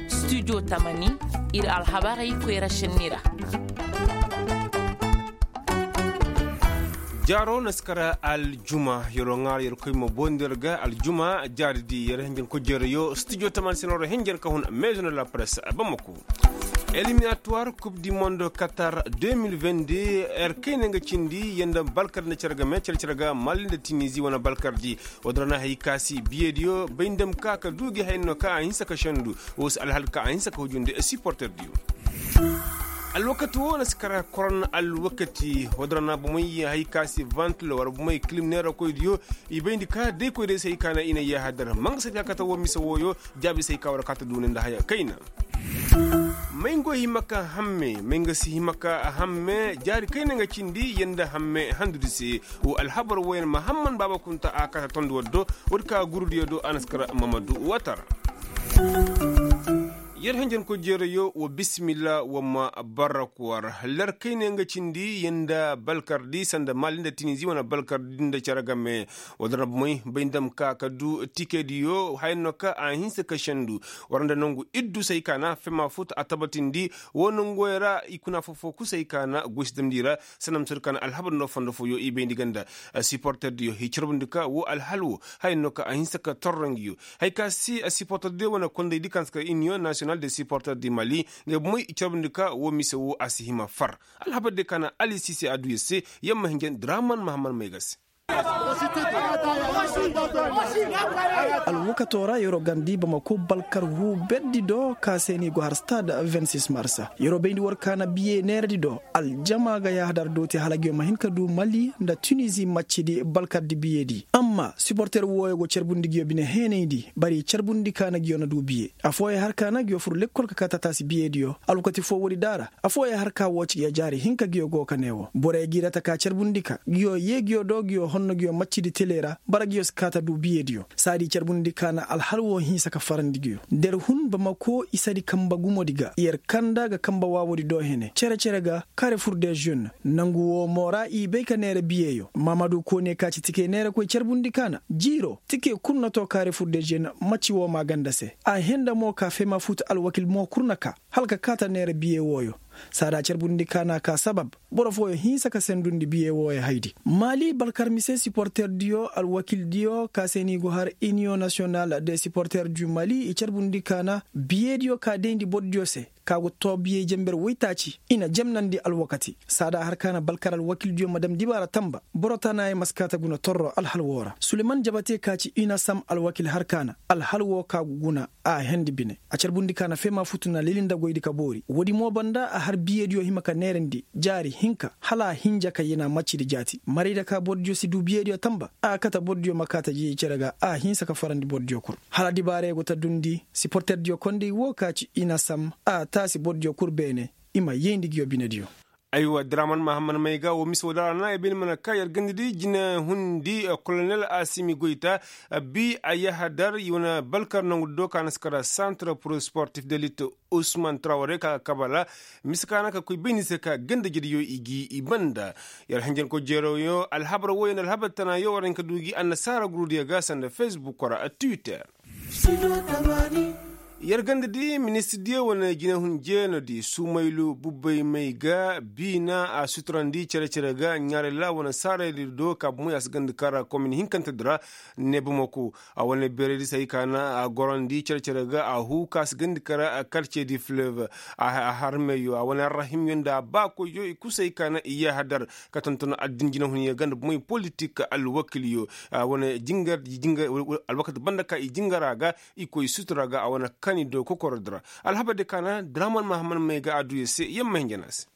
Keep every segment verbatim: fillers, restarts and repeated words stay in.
Studio tamani, ir alhabarey koyra šenni ra. Jaaro na si kara aljuma, yeroo ŋaara yeroo koy ma bondi yer ga aljuma jaari di yer hinjan kojeerayo studio tamani se no ra hinjan ka hun maison de la presse bamako. Eliminatuwar kub di mondo katar deux mille vingt-deux, yer kayna nga cindi yanda balkar nda cere game cere cere ga mali nda tinizi wane balkar di. Woo din ra na hay ka si biyediyo bay nda ma ka ka du gi hay no ka a hinsa ka sendu. Woo si alhal ka a hinsa ka hujundi siporterdiyo. Alwakati woo na si kara koron alwakati. Woo din ra na bomey hay ka si vantilo wala bomey kilim neerakoydiyo. I bayndi ka day koy day se hay ka na i na yahadar ma nga si hay ka kate woo mise wooyo. Jaabi se hay ka war ka ta duuni nda haya kayna. May nga go hima ka hamme may nga si hima ka hamme jaari kayna nga cindi yanda hamme handudi se. Woo alhabar wooyaŋ mahamman baaba kunta a kata tondi war do. Woodi ka gurudiyo do a na si kara mamadu watara. Yer henjenkoy jeerayo wa bisimilla wa ma barraku war. Ler kayna nga cindi yanda balkardi sanda mali nda tinizi wane balkardi nda cere game. Woo din ra bomey bay nda ma ka ka du tikediyo haya no ka a hinsa ka sendu. War nda nongu iddu se hay ka na fema futu a tabatindi. Woo nonguwey ra i kuna foo-foo kusa hay ka na goy si damndi ra. Sanda ma soodi ka na alhabar no fondo fooyo i bayndi ganda. Siporterdiyo i carbundi ka woo alhal woo haya no ka a hinsa ka torro ngiyo. Hay ka si siporterdiyo wane kondaydi ka na si kar iniyoŋ nasiyonal de siporter di mali. Ngey bomey i carbundi ka woo mise woo a si hima far. Alhabar diyo ka na ali sise a du yer se. Yer ma hinjan draman mahamman may ga se. Alwakatoo ra yeroo gandi bamako balkar huu berdi do ka se no i go har stad vingt-six marsa. Yeroo bayndi war ka na biye neeradi do. Aljama ga yaahadar dooti hala nguyo ma hin ka du mali nda tunizi maccidi balkardi biyedi amma siporter wooyo go carbundi nguyo bine heenayndi bari carbundi ka na nguyo na du biye. Afooyaŋ har ka na nguyo fur lekkol ka kaa tataasi biyediyo. Alwakati foo woodi daara. Afooyaŋ har ka woo ci nguyo jaari hinka nguyo go ka nee woo borey g'i ra taka carbundi ka nguyo yee nguyo do nguyo honno nguyo maccidi tele ra bara nguyo si kaa ta du biyediyo. Saadi carbundi ka na alhal woo hinsa ka farandi nguyo. Der hun bamako isadi kamba gumodi ga yer kanda ga kamba waawoodi do hene cere-cere ga. Kaare fur de žen nangu woo mo ra i bay ka neera biyeyo maamadu koone ka ci tikey neerakoy carbundi ka na jiiro tikey kul na too kaare fur de žen. Macci woo maa ganda se a henda mo ka feema fuutu alwakil mo kul na kaa hala ka kaa ta neera biye wooyo. Saada carbundi ka na a kaa sabab boro fooyo hinsa ka sendundi biye wooyo haydi. Maali balkar mise siporterdiyo alwakildiyo ka se no i go har iniyoŋ nasiyonal de siporter du maali i carbundi ka na biyediyo ka dayndi bordiyo se. Ka go too biyey jenber woytaaci i na jemnandi alwakati saada har ka na balkar alwakildiyo ma dam dibaara tanba boro tanaayey ma si kaa ta guna torro alhal woo ra suleman jabate ka ci i na sam alwakil har ka na alhal woo ka go guna. A hendi bine a carbundi ka na feema futu na leli nda goydi ka boori woodi mo banda a har biyediyo hima ka neerandi jaari hinka hala a hinja ka yena maccidi jaati marayda ka bordiyo si du biyediyo tanba a kate bordiyo ma kaa ta jiiji cere ga a hinsa ka farandi bordiyo kul. Hala dibaarey go ta dundi siporterdiyo kondey woo ka ci i na sam a taasi bordiyo kul beene. I ma yeyndi nguyo binediyo. Aywa draman mahamman may ga woo mise woo da ra na ay bay ni mana kaa yer gandadi jine hundi kolonel asimi goyta bi a yahadar i wane balkar nongu do ka na si kara santre pur sportif de lit usman trawre ka ga kabala. Mise ka na ka koy bayndi se ka gandajediyo i gi i banda. Yer hanjankoy jeerooyo alhabar wooyaŋ alhabar tanaayo war hin ka du gi annasaara gurudiyo ga sanda fesbuk ra twitter. Yer ganda di ministirdiyo wane jinehun jeenodi sumaylu bubbay may ga biina a suturandi cere-cere ga ɲaarayla wane saaraydi do ka bumay a si ganda kara komin hinkantedi ra. Ne bamako a wane beeraydi se hay ka na a gorandi cere-cere ga a huu ka si ganda kara karcedi fleuve a har meyo a wane arrahimyo nda a baakoyyo i kul se hay ka na i yahadar ka tonton addin jinehunyo ga nda bumay politik alwakilyo. A wane jingar alwakati banda ka i jingara ga i koy sutura ga a wane kani do kokorodi ra. Alhabar de ka na draman mahaman may ga a du yer se yer ma hinja no a se.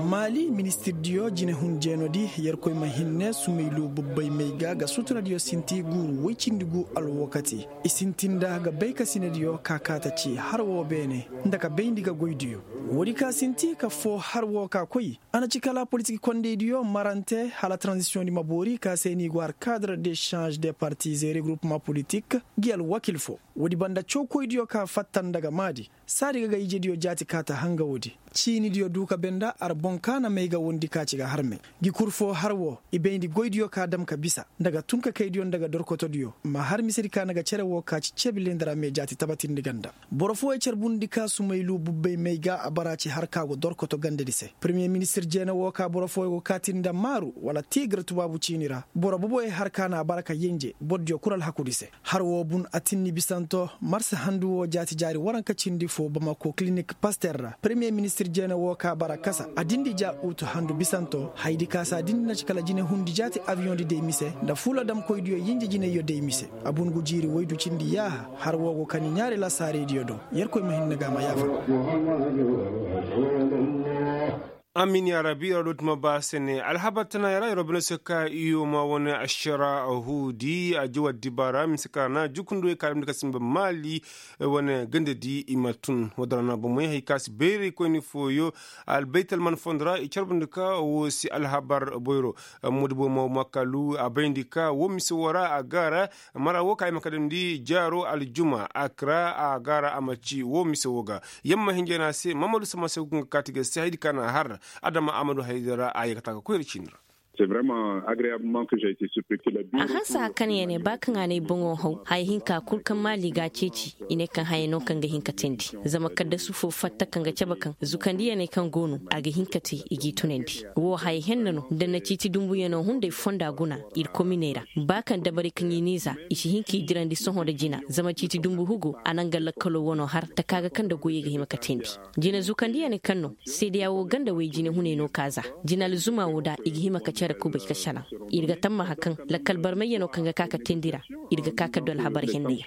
Maali ministirdiyo jinehun jeenodi yerkoy ma hinne sumaylu bubbay may ga ga suturadiyo sinti guuru woy cindi gu alwakati i sinti nda ga bay ka sinediyo ka kaa ta ci har woo beene nda ka bayndi ga goydiyo. Woodi ka sinti ka foo har woo ka koy a na ci kala politik kondeydiyo marante hala tranzisiyoŋdi ma boori ka se no i go har kadre de šange de partiz et regroupement politik. Ngi alwakil foo woodi banda cawkoydiyo ka fatta nda ga maadi saadi ga ga ijediyo jaati ka ta hanga woodi. Ciinidiyo du ka benda ar boŋ ka na may ga wondi ka ci ga harmey. Gi kul foo har woo i bayndi goydiyo ka dam ka bisa nda ga tun ka kaydiyo nda ga dorkotodiyo ma har misedi ka na ga cere woo ka ci cebilindi ra me jaati tabatindi ganda. Boro fooyey carbundi ka sumaylu bubbey may ga a bara ci har ka go dorkoto gandedi se. Premiye ministir jeena woo ka boro fooyey go kaati nda maaru wala tiigira tubaabu ciini ra boro boboyey har ka na a bara ka yenje bordiyo kul alhakudi se. Har woo bun a tinni bisanto marsa handu woo jaati jaari waranka cindi foo bamako kilinik paster ra premiye ministir jeene woo ka bara kasa a dindi ja utu handu bisanto haydi ka saa dindi na ci kala jine hundi jaati abiyoŋdi day mise nda fuula damkoydiyo yinje jineyyo day mise. A bun gu jiiri woydu cindi yaaha har woo go kani ɲaari lasaaraydiyo do. Yerkoy ma hinne ga a ma yaafa. Amin yaa rabbi yer wo dooti ma ba se ne alhabar tana yer wo bine se ka iyo ma wane ašara huudi a jawa dibaara mise ka ra na jukundu wey ka damndi ka simba maali. Wane gandadi i ma tun woo dara na bomey hari ka si bayray koyni fooyo. Albaytal man fondo ra i carbundi ka woo si alhabar boyro. Modi boy ma makkalu a bayndi ka woo mise woo ra a gaara mara woo ka i ma ka damndi jaaro aljuma akra a gaara a ma ci woo mise woo ga. Yamma hinjana se mamadu sama se ga kaati ga se haydi ka na har adama amadu haydi ra a yee ka taa ga koyra ciini ra. A hanse haka kaŋ ya ne ba kaŋ a na ay boŋo haw haya hinka kul kaŋ maali ga a ceeci. I ne kaŋ haya no kaŋ ga hin ka teendi zama kaddasu fo fatta kaŋ ga cabe kaŋ zukandiyaney kaŋ go no a ga hin ka te i g'i tunandi. Wo haya henna no nda na ciiti dumbuyanoo hunday fonda guna ir kominey ra. Ba kaŋ dabarey kaŋ i n'i za i si hin k'i dirandi sohõ nda jina zama ciiti dumbu hugo a na nga lakkaloo wanoo har taka ga kaŋ nda goyey ga hima ka teendi. Jina zukandiyaney kaŋ no seedeya woo ganda way jine hunay no ka za. Jina alzuma woo da i ga hima ka care kubay ka salaŋ. Ir ga tammaha kaŋ lakkal barmayyanoo kaŋ ga ka ka teendi ra ir ga ka ka du alhabar henney.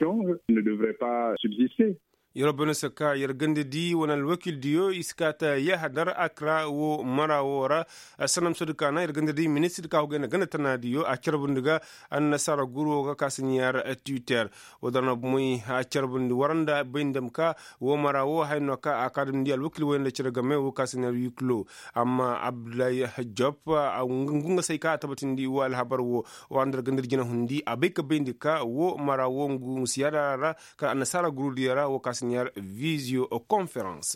Yer wo bana se ka yer gandadi wane alwakildiyo i si kaa ta yahadar akra woo mara woo ra. Sanda ma sohõ di ka na yer gandadi ministir ka hugay nda ganda tanaadiyo a carbundi ga annasaara guru woo ga ka si ɲaar twitter. Woo dara na bomey a carbundi waranda bay nda ma ka woo mara woo haya no ka a ka damndi alwakil woy nda cere game woo ka si ɲaar wiklo. Amma abdullahi job ngu nga se ay ka a tabatindi woo alhabar woo. Woo a nda gandadi jina hundi a bay ka bayndi ka woo mara woo ngu siyaada ra kaŋ annasaara gurudiyo ra woo ka si ɲaar visio konferans.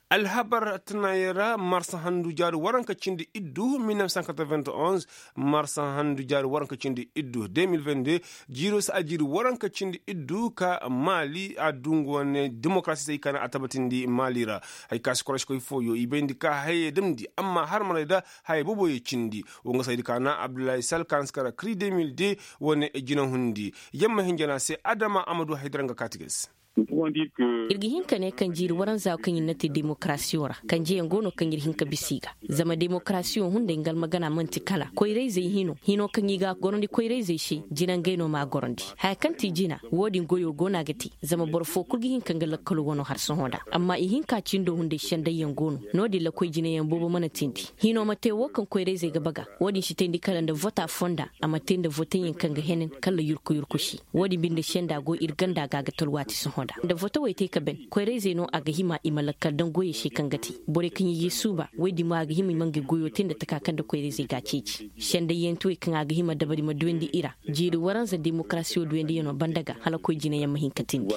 Alhabar tanayaŋ ra marsa handu jaari waranka cindi iddu mil neuf cent quatre-vingt-onze. Marsa handu jaari waranka cindi iddu deux mille vingt-deux. Jiiroo si a jiiri waranka cindi iddu ka maali a du nga wane demokarasi se i ka na a tabatindi maali ra. Hay ka si koroskoy fooyo i bayndi ka hayey damndi amma har maray da haya boboyo cindi. Woo nga se haydi ka na abdullahi sal ka na si kara kri deux mille deux. Wane jina hundi yamma hinjana se adama amadu haydara nga kaati ga se. Ir ga hin ka ne kaŋ jiiri waranza kaŋ ir na te demokarasiyo ra kanjeyaŋ go no kaŋ ir hin ka bisa i ga. Zama demokarasiyo hunday nga almagana man'ti kala koyrayzey hino hino kaŋ i ga a gorandi koyrayzey se jina ngey no m'a gorandi. Haya kaŋ ti jina woo din goyo go no a ga te. Zama boro foo kul ga hin ka nga lakkalo wano har sohõ nda amma ihinka cindo hunday sendayyaŋ go no. No-din ra koy jinayaŋ boobo mana teendi. Hino ma te woo kaŋ koyrayzey ga baga. Woo din si teendi kala nda vota fonda a ma te nda voteyaŋ kaŋ ga henen kala yurku yurku se. Woo din binde senda go ir ganda ga a ga talwaati sohõ nda nda votawey te ka ben koyrayzey no a ga hima i ma lakkal daŋ goyey se kaŋ ga te. Borey kaŋ i ga i suuba woy din mo a ga hima i ma ngey goyo te nda taka kaŋ nda koyrayzey ga a ceeci. Sendayyantiwey kaŋ a ga hima dabari ma duyandi i ra. Jiiri waranza demokarasiyo duyandiyanoo banda ga hala koy jinayaŋ ma hin ka tindi.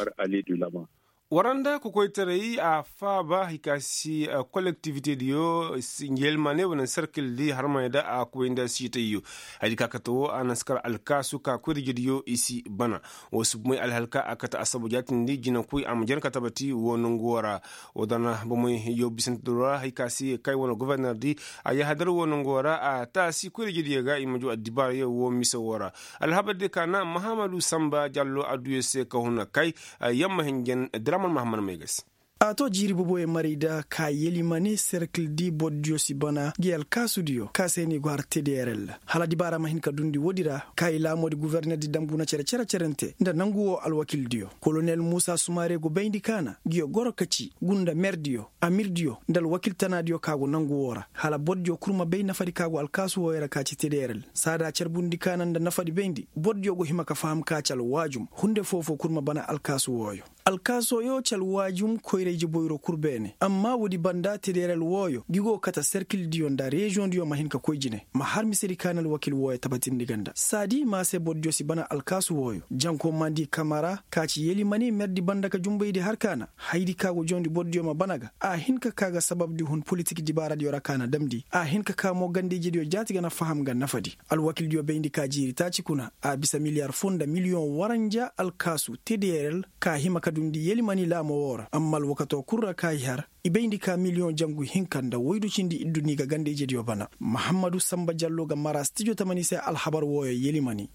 Waranda kokoytaray a faaba hari ka si kolektivitediyo, yelmane wane serkildi harmey da a koy nda siitayyo. Hari ka kate wo a na si kar alkaasu ka koy da jediyo i si bana. Wo si bomey alhal ka a kate assabu jaatindi jinakoy a ma jar ka tabati wo nangu wo ra. Wo dana bomey yo bisante do ra hari ka si kay wane gofornerdi a yahadar wo nangu wo ra a taasi koy da jediyo ga i ma juu addibaarayo wo mise wo ra. Alhabar diyo ka na mahamadu samba jallo adduyo se ka huna kay. Yamma hinjan draman mahamad may ga se. A to jiiri boboyo maray da ka yelimane serkil di bordiyo si bana gi alkaasudiyo ka se no i go har tederel. Hala dibaara ma hin ka dundi woodi ra ka i laamoodi gufornerdi dam guna cere cere cerante nda nangu wo alwakildiyo kolonel muusa sumaare go bayndi ka na ngiyo goro ka ci gunda merdiyo amirdiyo nda alwakiltanaadiyo ka go nangu wo ra hala bordiyo kul ma bay nafadi ka go alkaasu wooyo ra ka ci tederel saada carbundi ka na nda nafadi bayndi bordiyo go hima ka faham ka ci alwaajum hunde foo-foo kul ma bana alkaasu wooyo. Alkaasoo yoo ci alwaajum koyra ije boyro kul beene amma woodi banda tederel wooyo ngi go kate serkildiyo nda reziyoŋdiyo ma hin ka koy jine ma har misedi ka na alwakil wooyo tabatindi ga nda saadi ma se bordiyo si bana alkaasu wooyo janko mandi kamara ka ci yelimani merdi banda ka jumbaydi har ka na hayadi ka go jawndi bordiyo ma bana ga a hin ka kaa ga sababdi hun politik dibaaradiyo ra ka na damndi a hin ka kaa mo ganda ijediyo jaati ga na faham ga nafadi. Alwakildiyo bayndi ka jiiri taaci kuna a bisa miliyar foo nda miliyoŋ waranja alkaasu tederel ka hima ka dundi yelimani laamo woo ra amma alwakatoo kul ra ka i har i bayndi ka miliyoŋ jangu hinka nda woydu cindi iddu n'i ga ganda ijediyo bana. Mahammadu sanba jallo ga mara stijo tamani se alhabar wooyo yelimani.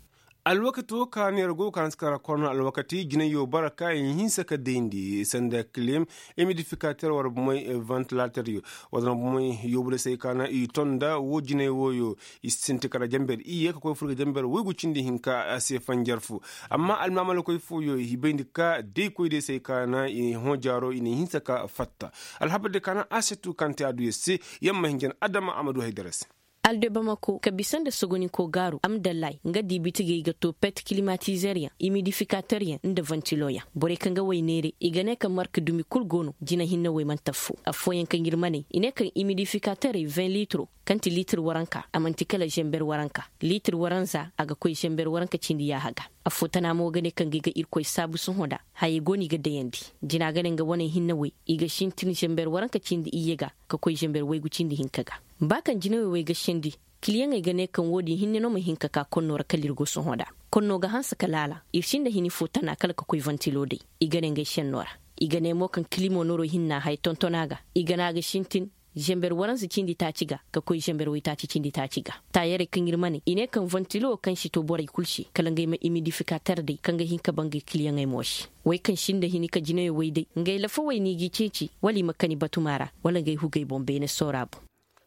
Alwakati woo ka no yer go ga ka hanse ka ra korno alwakati jinayyo bara ka i hinsa ka dayndi sanda kilim imidifikater war bomey, ventilateryo war bomey yoobu day se ay ka na i ton nda woo jinay wooyo. I sinti kala jamber iyye ka koy fur ga jamber woygu cindi hinka a se fanjar fo. Amma almaamalkoy fooyo i bayndi ka day koy day se ay ka na i hõ jaaro i na i hinsa ka fatta. Alhabar day ka na a se tu kaŋ te a du yer se. Yer ma hin jana adama a ma du haydara se. Alde bamako ka bisa nda sogoninkoo gaaru amdallay nga dii bitigey ga too pet kilimatizer yaŋ imidifikater yaŋ nda ventilo yaŋ borey kaŋ ga wey neeray i ga ne kaŋ marka dumi kul go no jina hinne wey mana taffo affooyaŋ kaŋ ir ma ne i ne kaŋ imidifikaterey vin litiro kaŋ ti litir waranka a man'ti kala zenber waranka litir waranza a ga koy zenber waranka cindi yaaha ga. Affoo tana mo ga ne kaŋ ga i ga irkoy saabu sohõ nda hayey go no i ga dayandi jina ga ne nga waney hinne wey i ga sintin zenber waranka cindi iyye ga ka koy zenber waygu cindi hinka ga. Ba kaŋ jinawey wey ga sendi kiliyaŋey ga ne kaŋ wo-din hinne no ma hin ka ka konno ra kala ir go sohõ nda konno ga hanse ka laala ir sinda hini fo tana kala ka koy ventilo day. I ga ne ngey senno ra i ga ne mo kaŋ kilimo noroo hinna haya tonton a ga i ga ne a ga sintin zenber waransa cindi taaci ga ka koy zenber waytaaci cindi taaci ga. Taayarey kaŋ ir ma ne i ne kaŋ ventilo kaŋ si to borey kul se kala ngey ma imidifikater day kaŋ ga hin ka ba ngey kiliyaŋey mo se. Wey kaŋ sinda hini ka jinayo wey day ngey lafawey no i g'i ceeci wala i ma kani batuma ra wala ngey hugey boŋ beene soora boŋ.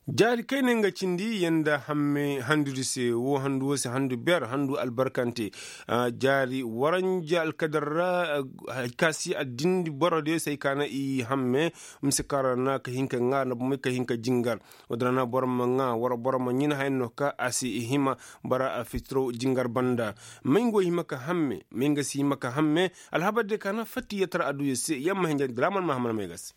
Jaari kayna nga cindi yanda hamme handudi se woo handu woo se handu ber handu albarkante. Jaari waranja alkadar ra. Hay ka si addin borodiyo se hay ka na i hamme mise kaŋ ra na ka hin ka ŋaari na bomey ka hin ka jingar. Woo din ra na boro ma ŋaa wara boro ma ɲin haya no ka a si hima bara fitiro jingar banda. May nga wo hima ka hamme may nga si hima ka hamme. Alhabar diyo ka na fatta i yatara adduyo se yer ma hinja diraaman mahammad may ga se.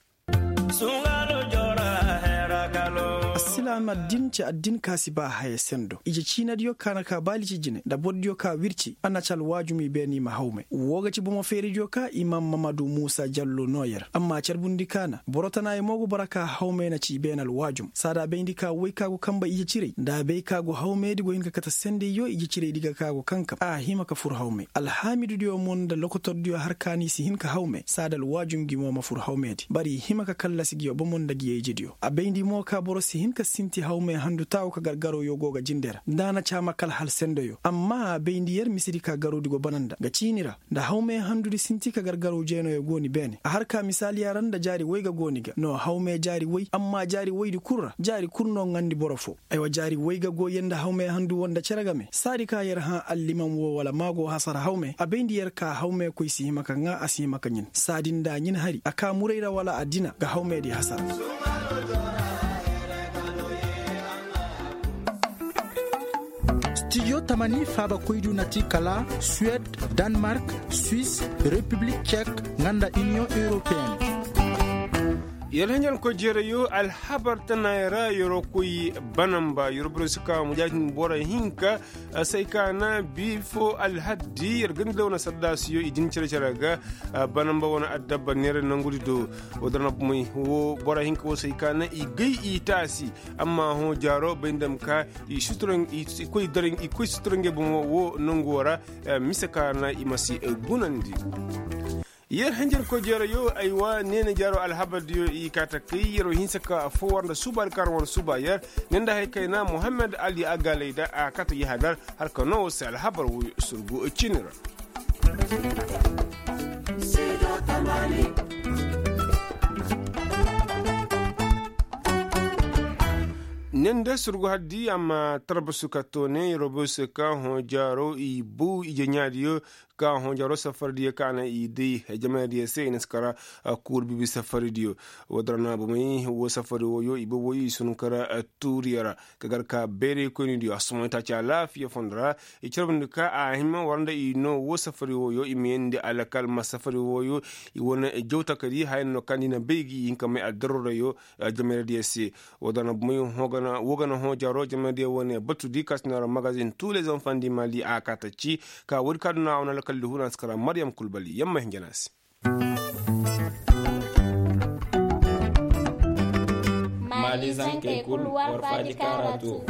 Assilaam addin ci addin ka si ba haya sendo ije ciinadiyo ka na ka baali ci jine nda bordiyo ka wirci a na ci alwaajum i beene i ma hawmay woo ga ci bomo feeridiyo ka imaam mamadu muusa jallo noo yer amma carbundi ka na boro tanayo mo go bara ka hawmay na ci i beene alwaajum saada bayndi ka woy ka go kanba ije ciray nda a bay ka go hawmaydi go hin ka kate sendayyo ije ciraydi ga ka go kankam a hima ka fur hawmay alhaamidudiyo mo nda lokotordiyo har ka no i si hin ka hawmay saada alwaajum ngi mo ma fur hawmaydi bari i hima ka kallasi ngiyo bomo nda ngiyo ijediyo a bayndi mo ka boro si hin ka sinti hawmay handu taawo ka gargarawyo go ga jinde ra nda a na caama kala hal sendoyo amma a bayndi yer misedi ka garowdi go bana nda nga ciini ra nda hawmay handudi sinti ka gargaraw jeenooyo go ni beene a har ka misaaliya ra nda jaari woy ga go ni ga no hawmay jaari woy amma jaari woydi kul ra jaari kul no ŋaandi boro foo. Aywa jaari woy ga go yer nda hawmay handu wo nda cere game saadi ka yer hã allimam woo wala maago hasara hawmay a bayndi yer ka hawmay koy si hima ka ŋaa a si hima ka ɲin saadi nda a ɲin hari a ka muray ra wala a dina ga hawmaydi hasara. Stijo tamani faabakoydiyo na ti kala suwed, danmark, swis, repiblik cek, nga nda iniyoŋ europeen. Yer hinjankoy jeerayo alhabar tanaayoo ra yeroo koy banamba yeroo borey si ka mujaatin borey hinka. Say ka na bii foo alhaddi yer gandi da wane saddaasiyo i din cere-cere ga. Banamba wane addabba neera nangudi do. Woo dara na bomey woo borey hinka woo say ka na i gay i taasi. Amma hõ jaaro bay nda ma ka i koy sutura ngey bomo woo nangoo ra. Mise ka na i ma si gunandi. Yer hanjarkoy jeerayo aywa neena jaaro alhabardiyo i kaa takay yeroo hinsa ka affoo war nda suubaadi kaŋ ra war suuba yer. Ne nda hay kayna muhammad ali agaalay da a kaa ta yahadar har ka noo war se alhabar woo surgu ciini ra. Ne nda surgu haddi a ma tarbasu ka toone yeroo bay se ka hõ jaaro i bow ije ɲaadiyo. Ka hõ jaro safaridiyo ka na i day jamaydiyo se i na si kara. Kuuru bibi safaridiyo. Woo da ra na bomey woo safari wooyo i booboyo i sun kara. Tuuriyo ra ka gar ka bayray koynidiyo a sumaytaaci alaafiya fondo ra. I carbundi ka a hima war nda i noo woo safari wooyo i ma yeendi alakal ma safari wooyo. I wane jawtakadi haya no kaŋ di na bay ga i hin ka may addarurayo. Jamaydiyo se. Woo da na bomey woo ga na hõ jaro jamaydiyo wane batudi ka si no ra magazin tuulezanfandi mali a kaataci. Ka woodi ka duna a wane alakal di huna si kara maryam kulbali yamma hinja na se. Maalizankey kul war faaji kaara to.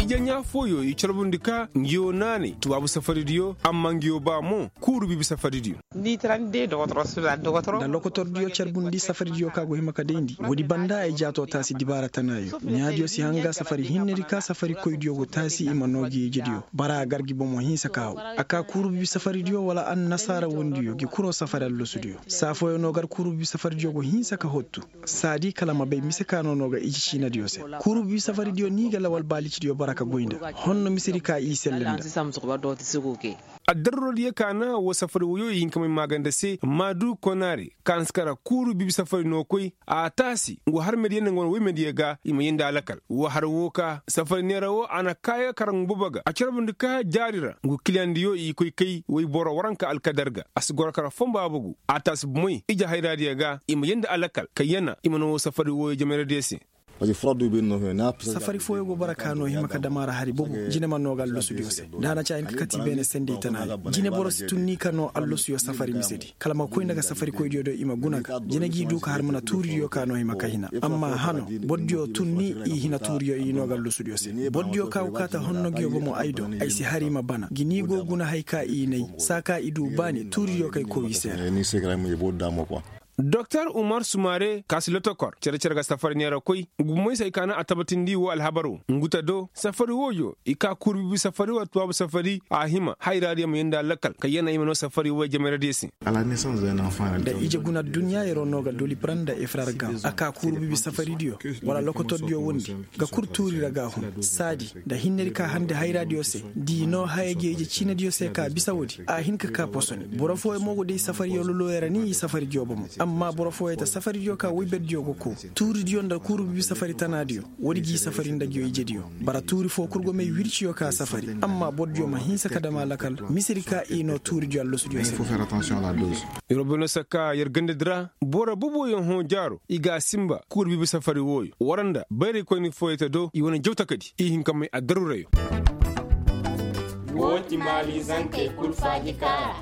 Ije ɲaa fooyo i carbundi ka ngiyo naanay tubaabu safaridiyo amma ngiyo ba mo. Kuuru bibi safaridiyo. Nda lokotordiyo carbundi safaridiyo ka go hima ka dayndi woodi banda ay jaato taasi dibaara tanaayo ɲaadiyo si hanga safari hinnedi ka safarikoydiyo go taasi i ma noo gi ijediyo. Bara a gar gi bomo hinsa ka haw. A ka kuuru bibi safaridiyo wala annasaara wondiyo gi kuroo safari allasudiyo saa fooyo no gar kuuru bibi safaridiyo go hinsa ka hottu. Saadi kala ma bay mise ka no no ga iji ciinadiyo se. Kuuru bibi safaridiyo ni ga lawal baalicidiyo bara ka goy nda honno misedi ka i selle nda. Addarurodiyo ka na woo safari woyo i hin ka may maaganda se maadu konaare ka na si kara kuuru bibi safari no koy. A taasi ngu harmediyo nda ngu wane woymediyo ga i ma yeendi alakal woo har woo ka safari neera woo a na kaayo kara ngu bobo ga a carbundi ka jaari ra ngu kiliyandiyo i koy kay woy boro waranka alkadar ga a si goro kara fomba bugu. A taasi bomey ije hayraadiyo ga i ma yeendi alakal ka yana i ma na woo safari woyo jameradiyo se. Safari fooyo go bara ka no hima ka dam a ra hari bobo jine ma noo ga allasudiyo se. Da a na ci a hin ka kati beene sendey tana ya jine boro si tun ni ka noo allasuyo safari misedi kala ma koy nda ga safarikoydiyo do i ma guna ga jine g'i du ka har mana tuuridiyo ka no hima ka hina. Amma hano bordiyo tun ni i hina tuuriyo i noo ga allasudiyo se. Bordiyo ka go kaata honno nguyo bomo ay do ay si har i ma bana gi ni go guna hay ka i nay saa ka i du baani tuuridiyo kay kow i se ra. Doktor umar sumare ka si lotokor cere-cere ga safari neera koy ngu moysey ka na a tabatindi woo alhabar woo ngu ta do safari wooyo i ka kuuru bibi safari wala tubaabu safari a hima hayraadiyo ma yeendi alakal ka yana i ma noo safari wooyo jameradiyo se. Nda ije guna adduɲɲa yeroo no ga dolib ra nda efrar ga a ka kuuru bibi safaridiyo wala lokotordiyo wondi ga kul tuuri ra ga a hun saadi nda hinnedi ka handi hayraadiyo se da i noo haya gi ije ciinadiyo se ka bisa woodi a hin ka ka posoni boro fooyo mo go day safariyo lolooyo ra ni i safaridiyo bomo. Amma boro fooyo ta safaridiyo ka woyberdiyo go koo tuuridiyo nda kuuru bibi safari tanaadiyo woodi g'i safari nda nguyo ijediyo. Bara tuuri foo kul go may wirciyo ka safari amma bordiyo ma hinsa ka dam a lakal misedi ka i noo tuuridiyo allasudiyo se. Robino sakka yer gandadi ra boro boboyaŋ hõ jaaro i ga a sinba kuuru bibi safari wooyo war nda bayraykoyni fooyey ta do i wane jawtakadi i hin ka may addarurayo. Woo ti maalizankey kul faaji kaara.